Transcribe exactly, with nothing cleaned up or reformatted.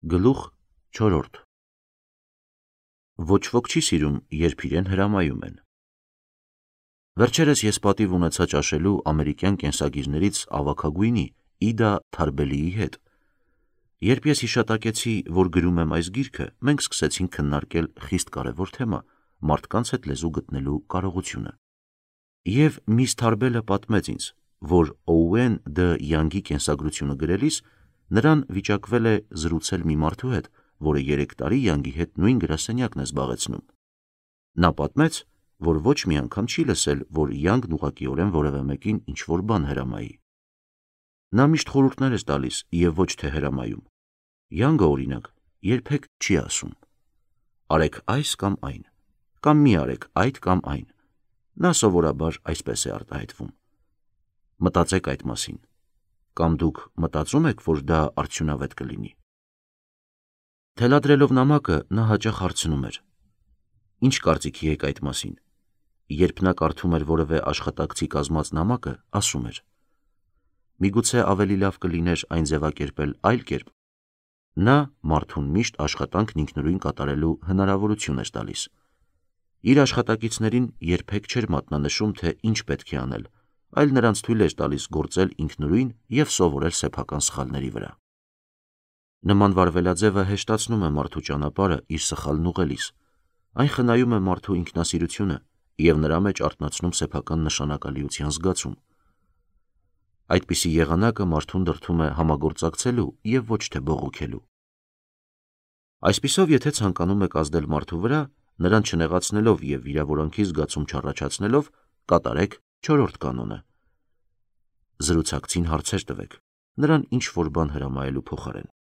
Գլուխ չորրորդ Ոչ ոք չի սիրում, երբ իրեն հրամայում են։ Վերջերս ես պատիվ ունեցա ճաշելու ամերիկյան կենսագիրներից ավագագույնի Իդա Թարբելիի հետ։ Երբ ես հիշատակեցի, որ գրում եմ այս գիրքը, մենք սկսեցինք քննարկել խիստ կարևոր թեմա՝ մարդկանց հետ լեզու գտնելու կարողությունը։ Եվ միս Թարբելը պատմեց ինձ, որ Օուեն Դ. Յանգի կենսագրությունը գրելիս նրան վիճակվել է զրուցել մի մարդու հետ, որը երեք տարի Յանգի հետ նույն գրասենյակն է զբաղեցնում։ Նա պատմեց, որ ոչ մի անգամ չի լսել, որ Յանգն ուղղակիորեն որևէ մեկին ինչ-որ բան հրամայի։ Նա միշտ խորհուրդներ է տալիս և ոչ թե հրամայում։ Յանգը, օրինակ, երբեք չի ասում. «Արեք այս կամ այն», կամ «Մի արեք այդ կամ այն»։ Նա սովորաբար այսպես է արտահայտվում. «Մտածեք այդ մասին», կամ «Դուք մտածում եք, որ դա արդյունավետ կլինի»։ Թելադրելով նամակը, նա հաճախ հարցնում էր. «Ինչ կարծիքի եք այդ մասին»։ Երբ նա կարդում էր որևէ աշխատակցի կազմած նամակը, ասում էր. «Միգուցե ավելի լավ կլիներ այն ձևակերպել այլ կերպ»։ Նա մարդուն միշտ աշխատանքն ինքնուրույն կատարելու հնարավորություն էր տալիս։ Իր աշխատակիցներին երբեք չէր մատնանշում, թե ինչ պետք է անել, այլ նրանց թույլ էր տալիս գործել ինքնուրույն և սովորել սեփական սխալների վրա։ Նման վարվելաձևը հեշտացնում է մարդու ճանապարհը իր սխալն ուղղելիս։ Այն խնայում է մարդու ինքնասիրությունը և նրա մեջ արթնացնում սեփական նշանակալիության զգացում։ Այդպիսի եղանակը մարդուն դրդում է համագործակցելու և ոչ թե բողոքելու։ Այսպիսով, եթե ցանկանում եք ազդել մարդու վրա, նրան չնեղացնելով և վիրավորանքի զգացում չառաջացնելով, կատարեք չորրորդ կանոնը. զրուցակցին հարցեր տվեք, նրան ինչ-որ բան հրամայելու փոխարեն։